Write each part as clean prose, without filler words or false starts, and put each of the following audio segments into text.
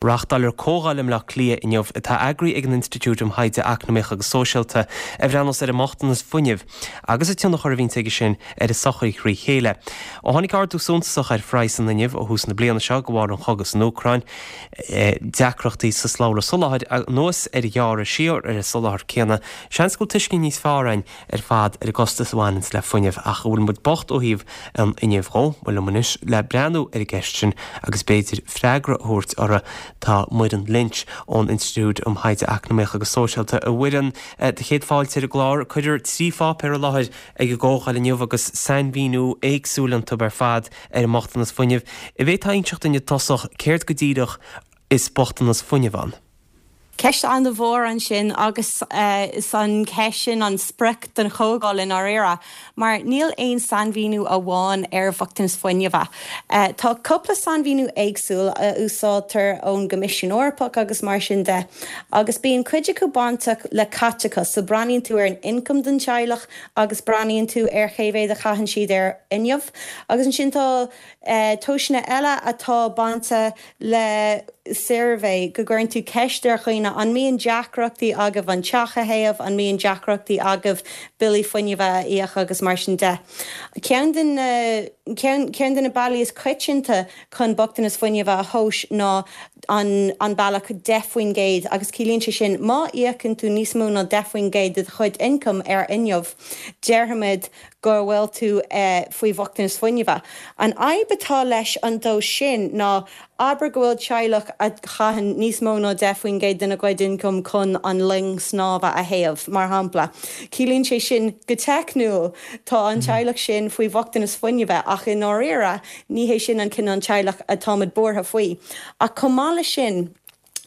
Reáchtáiltear comhdháil i mBleá Cliath inniu, atá eagraithe ag an Institiúid um Thaighde Eacnamaíoch agus Sóisialta, a bhreathnós ar an mbochtanas fuinnimh agus an tionchar a bhíonns aige sin ar an tsochaí thrí chéile. Ó tháinig ardú suntasach ar phraghas an fhuinnimh ó thús na bliana seo de bharr an chogaidh san Úcráin, deacrachtaí sa slabhra soláthair anuas ar ghearradh siar ar an soláthar céanna, seans go bhfuil tuiscint níos fearr againn ar fad ar an gcostas a bhaineanns le fuinneamh ach an bhfuil muid bocht ó thaobh an fhuinnimh dhó? Bhuel liom anois le breathnú ar an gceist sin agus b'fhéidir freagra a thabhairt uirthi tá Muireann Lynch ón Institiúid um Thaighde Eacnamaíoch agus Sóisialta. A Mhuireann, do chéad fáilte ar an gclár. Cuirfear 3 pháipéar i láthair ag an gcomhdháil inniu agus sainmhíniú éagsúil iontu ar fad ar an mbochtanas fuinnimh. An bhféadfá a inseacht dúinn i dtosach céard go díreach is bochtanas fuinnimh ann? Ceist an-mhór ansin agus is an cheist sin an sprioc don chomhdháil i ndáiríre, mar níl aon sainmhíniú amháin ar bhochtanas fuinnimh. Tá cúpla sainmhíniú éagsúil a úsáidtear ón gCoimisiún Eorpach agus mar sin de, agus bíonn cuid acu bainteach le caiteachas, so breathnaíonn tú ar an ioncam don teaghlach agus breathnaíonn tú ar cé mhéad a chaitheann siad ar fhuinneamh. Agus ansin tá tomhaiseanna eile atá bainte le suirbhé, go gcuireann tú ceist ar dhaoine, an mbíonn deacrachtaí agaibh an teach a théamh, an mbíonn deacrachtaí agaibh billí fuinnimh a íoc agus mar sin de. Ceann de na, ceann de na bealaí is coitianta chun bochtanas fuinnimh a thomhas ná an, an bealach 10% agus ciallaíonn sé sin má íocann tú níos mó ná 10% de do chuid ioncaim ar fhuinneamh, déarfaimid go bhfuil tú faoi bhochtanas fuinnimh. An fhadhb atá leis an dtomhas sin ná, abair go bhfuil teaghlach a chaitheann níos mó ná 10% dena gcuid ioncaim chun an ling snámha a théamh, mar shampla. Ciallaíonn sé sin, go teicniúil, tá an teaghlach sin faoi bhochtanas fuinnimh ach i ndáiríre, ní hé sin an cineál teaghlach atáimid buartha faoi. Ach chomh maith leis sin,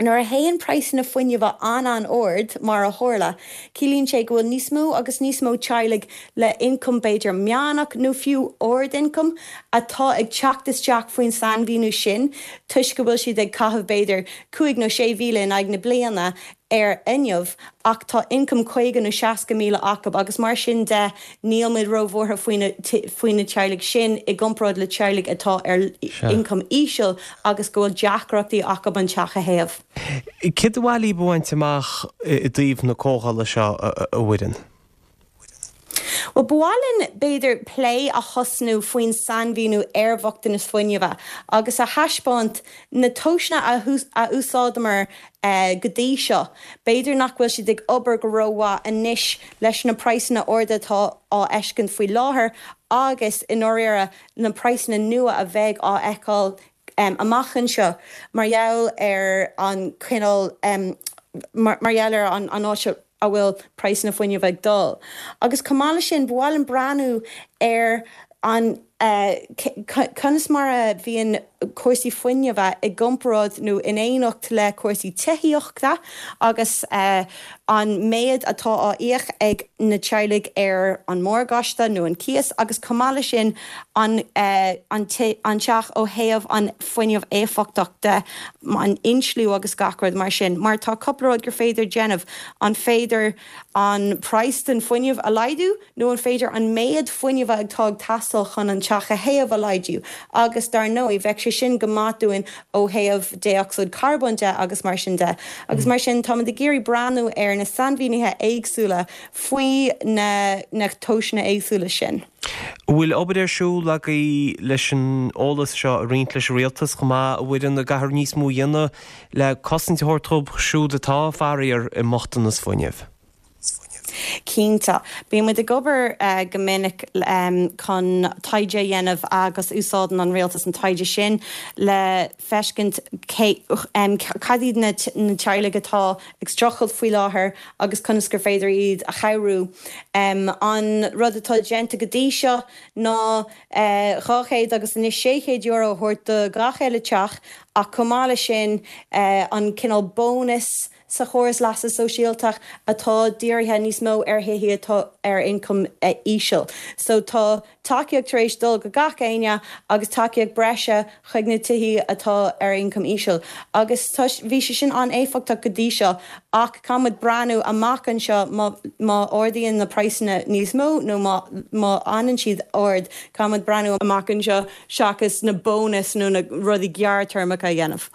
Nuair a théann praghsanna fuinnimh an-an-ard, mar a tharla, ciallaíonn sé go bhfuil níos mó agus níos mó teaghlaigh le ioncam b'fhéidir meánach nó fiú ard-ioncam atá ag teacht isteach faoin sainmhíniú sin toisc go bhfuil siad ag caitheamh b'fhéidir 5 nó 6,000 in aghaidh na bliana ar fhuinneamh ach tá ioncam 50 nó 60,000 acu agus mar sin de níl muid róbhuartha faoi na faoi na teaghlaigh sin i gcomparáid le teaghlaigh atá ar ioncam íseal agus go bhfuil deacrachtaí acu an teach a théamh. Céard ba mhaith libh a bhaint amach i dtaobh na comhdhála seo, a Mhuireann? Bhuel, ba mhaith linn, b'fhéidir, plé a thosnú faoin sainmhíniú ar bhochtanas fuinnimh agus a thaispeáint na tomhaiseanna a úsáideamar go dtí seo. B'fhéidir nach bhfuil siad ag obair go rómhaith anois leis na praghsanna arda atá á fheiscint faoi láthair agus, i ndáiríre, na praghsanna nua a bheidh á fheiceáil amach anseo mar gheall ar an chineál, mar gheall ar an áit a bhfuil praghsanna fuinnimh ag dul. Agus chomh maith leis sin, ba mhaith linn breathnú ar an conas mar a bhíonn cúrsaí fuinnimh i gcomparáid nó in éineacht le cúrsaí tithíochta agus an méid atá á íoc ag na teaghlaigh ar an morgáiste nó an cíos agus chomh maith leis sin an an teach ó thaobh an fuinneamh éifeachtach de, an insliú agus gach rud mar sin. Mar tá cúpla rud gur féidir déanamh, an féidir an praghas den fuinneamh a laghdú nó an féidir an méid fuinnimh atá ag teastáil chun an teach a théamh a laghdú agus dar ndóigh bheadh sé sin go maith dúinn ó thaobh dé-ocsaíd charbóin de agus mar sin de. Agus mar sin táimid ag iarraidh breathnú ar na sainmhínithe éagsúla faoi na na tomhaiseanna éagsúla sin. An bhfuil obair ar siúl agaibh leis an eolas seo a roinnt leis an rialtas chomh maith, a Mhuireann, an gcaithfear níos mó a dhéanamh le cosaint a thabhairt dóibh siúd atá, faraor, i mbochtanas fuinnimh? Cinnte. Bíonn muid ag obair go minic chun taighde a dhéanamh agus úsáideann an rialtas an taighde sin le feiscint cé, cad iad na teaghlaigh atá ag streachailt faoi láthair agus conas gur féidir iad a chabhrú. An rud atá déanta go dtí seo ná 200 agus anois €600 a thabhairt do gach uile teach ach chomh maith leis sin an cineál bónas sa chóras leasa sóisialta atá dírithe níos mó ar thithe atá ar ioncam íseal. So tá tacaíocht tar éis dul go gach éinne agus tacaíocht breise chuig na tithí atá ar ioncam íseal. Agus tá, bhí sé sin an-éifeachtach go dtí seo ach caithfimid breathnú amach anseo má, má ardaíonn na praghsanna níos mó nó má, má fhanann siad ard, caithfimid breathnú amach anseo seachas na bónais nó na rudaí gearrthéarmacha a dhéanamh.